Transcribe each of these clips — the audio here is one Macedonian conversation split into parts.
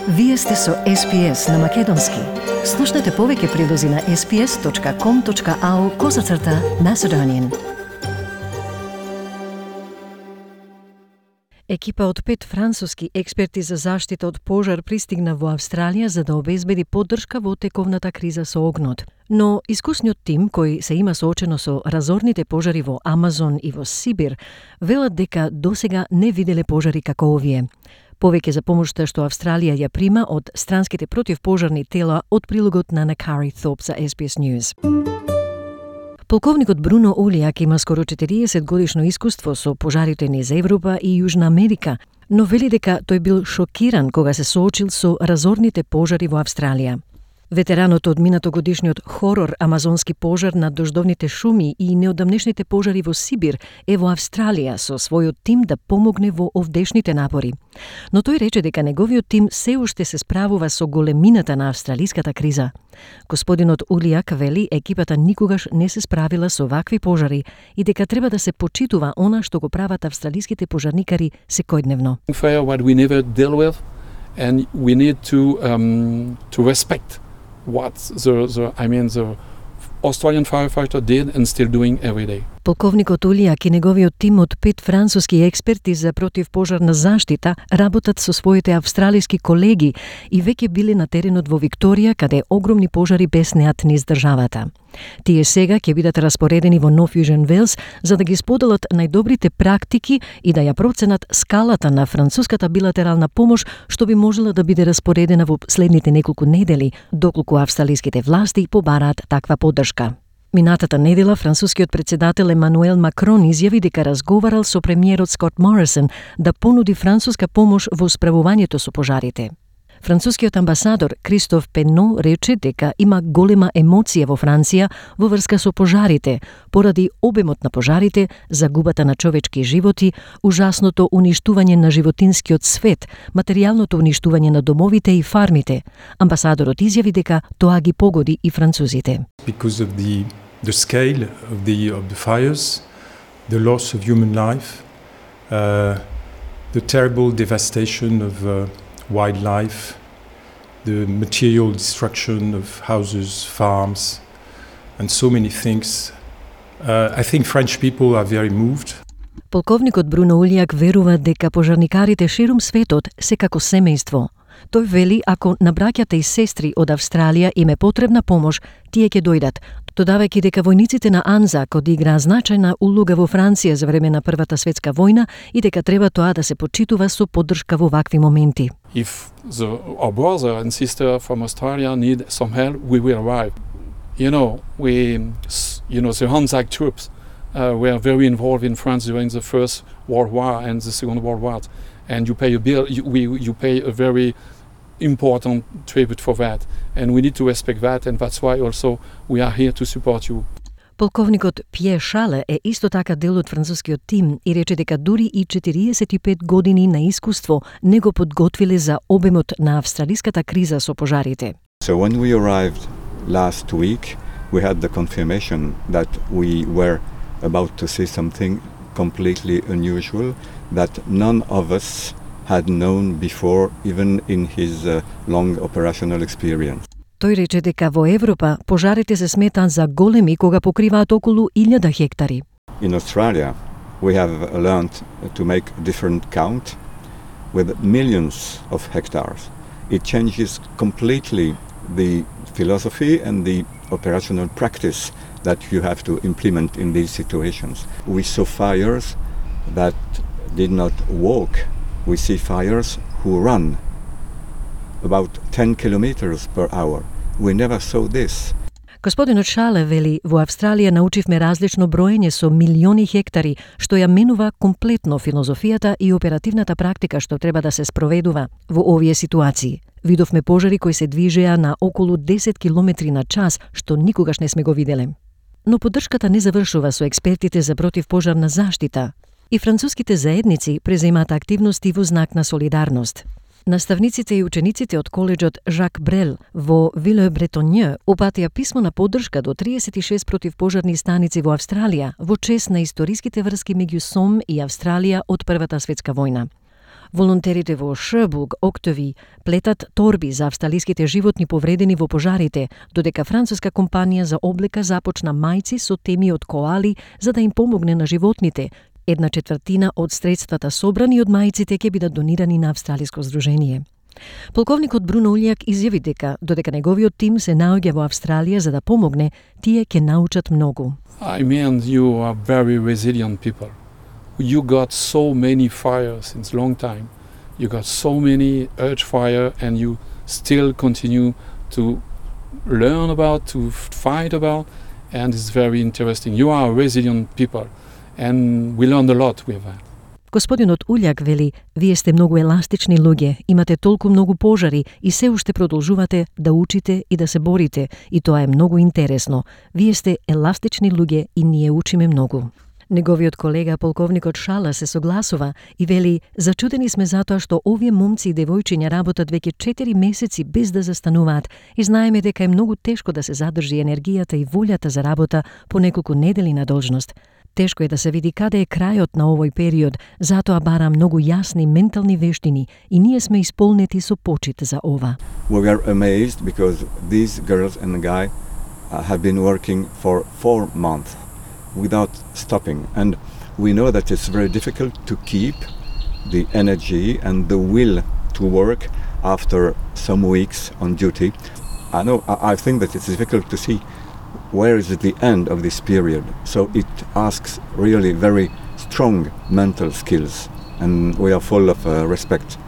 Вие сте со SPS на Македонски. Слушнете повеќе прилози на sps.com.au/Macedonian. Екипа од 5 француски експерти за заштита од пожар пристигна во Австралија за да обезбеди поддршка во тековната криза со огнот. Но искусниот тим, кој се има соочено со разорните пожари во Амазон и во Сибир, велат дека досега не виделе пожари како овие. Повеќе за помошта што Австралија ја прима од странските противпожарни тела од прилогот на Накари Thorpe за SBS News. Полковникот Бруно Улијак има скоро 40 годишно искуство со пожарите низ Европа и Јужна Америка, но вели дека тој бил шокиран кога се соочил со разорните пожари во Австралија. Ветеранот од минатогодишниот хорор амазонски пожар на дождовните шуми и неодамнешните пожари во Сибир е во Австралија со својот тим да помогне во овдешните напори. Но тој рече дека неговиот тим се уште се справува со големината на австралиската криза. Господинот Улијак вели екипата никогаш не се справила со вакви пожари и дека треба да се почитува она што го прават австралиските пожарникари секојдневно. What we never deal with, and we need to respect what the Australian firefighter did and still doing every day. Полковникот Улијак и неговиот тим од 5 француски експерти за противпожарна заштита работат со своите австралиски колеги и веќе биле на теренот во Викторија, каде огромни пожари беснеат низ државата. Тие сега ќе бидат распоредени во Нов Јужен Велс за да ги споделат најдобрите практики и да ја проценат скалата на француската билатерална помош што би можела да биде распоредена во следните неколку недели, доколку австралиските власти побараат таква поддршка. Минатата недела францускиот председател Емануел Макрон изјави дека разговарал со премиерот Скот Морисон да понуди француска помош во справувањето со пожарите. Францускиот амбасадор Кристоф Пено рече дека има голема емоција во Франција во врска со пожарите, поради обемот на пожарите, загубата на човечки животи, ужасното уништување на животинскиот свет, материјалното уништување на домовите и фармите. Амбасадорот изјави дека тоа ги погоди и французите. Because of the scale of the fires, the loss of human life, the terrible devastation of wildlife, the material destruction of houses, farms, and so many things. I think French people are very moved. Полковникот Бруно Улијак верува дека пожарникарите ширум светот се како семејство. Тој вели ако на браќата и сестри од Австралија им е потребна помош, тие ќе дојдат, додавајќи дека војниците на АНЗАК одиграа значајна улога во Франција за време на Првата светска војна и дека треба тоа да се почитува со поддршка во вакви моменти. If our brother and sister from Australia need some help, we will arrive. The ANZAC troops were very involved in France during the First World War and the Second World War, and you pay a bill. You pay a very important tribute for that, and we need to respect that, and that's why also we are here to support you. Полковникот Пје Шале е исто така дел од францускиот тим и рече дека дури и 45 години на искуство не го подготвиле за обемот на австралиската криза со пожарите. So when we arrived last week, we had the confirmation that we were about to see something completely unusual that none of us had known before, even in his long operational experience. Тој рече дека во Европа пожарите се сметаат за големи кога покриваат околу 1000 хектари. In Australia, we have learned to make different count with millions of hectares. It changes completely the philosophy and the operational practice that you have to implement in these situations. We saw fires that did not walk. We see fires who run about 10 kilometers per hour. We never saw this. Господинот Шале вели, во Австралија научивме различно броење со милиони хектари, што ја менува комплетно филозофијата и оперативната практика што треба да се спроведува во овие ситуации. Видовме пожари кои се движеа на околу 10 километри на час, што никогаш не сме го виделе. Но поддршката не завршува со експертите за противпожарна заштита. И француските заедници преземаат активности во знак на солидарност. Наставниците и учениците од коледжот Жак Брел во Виле-Бретонје упатија писмо на поддршка до 36 противпожарни станици во Австралија во чест на историските врски меѓу СОМ и Австралија од Првата светска војна. Волонтерите во Шербург, Октови, плетат торби за австралиските животни повредени во пожарите, додека француска компанија за облека започна мајци со теми од коали за да им помогне на животните. 1/4 од средствата собрани од мајците ќе бидат донирани на австралиско здружение. Полковникот Бруно Улјак изјави дека додека неговиот тим се наоѓа во Австралија за да помогне, тие ќе научат многу. I mean, you are very resilient people. You got so many fires since long time. You got so many urge fire and you still continue to learn about, to fight about, and it's very interesting. You are resilient people and we learned a lot with that. Господинот Улјак вели, вие сте многу еластични луѓе, имате толку многу пожари и се уште продолжувате да учите и да се борите, и тоа е многу интересно. Вие сте еластични луѓе и ние учиме многу. Неговиот колега, полковникот Шала, се согласува и вели, зачудени сме затоа што овие момци и девојчиња работат веќе 4 месеци без да застануваат и знаеме дека е многу тешко да се задржи енергијата и волјата за работа по неколку недели на должност. Тешко е да се види каде е крајот на овој период, затоа бара многу јасни ментални вештини и ние сме исполнети со почит за ова. We were amazed because these girls and guy have been working for 4 months without stopping, and we know that it's very difficult to keep the energy and the will to work after some weeks on duty. I think that it's difficult to see where is the end of this period. So it asks really very strong mental skills, and we are full of respect.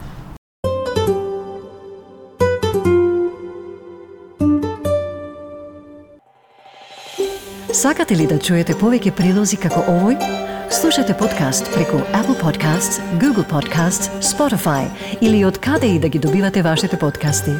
Сакате ли да чуете повеќе прилози како овој? Слушате подкаст преку Apple Podcasts, Google Podcasts, Spotify или од каде и да ги добивате вашите подкасти.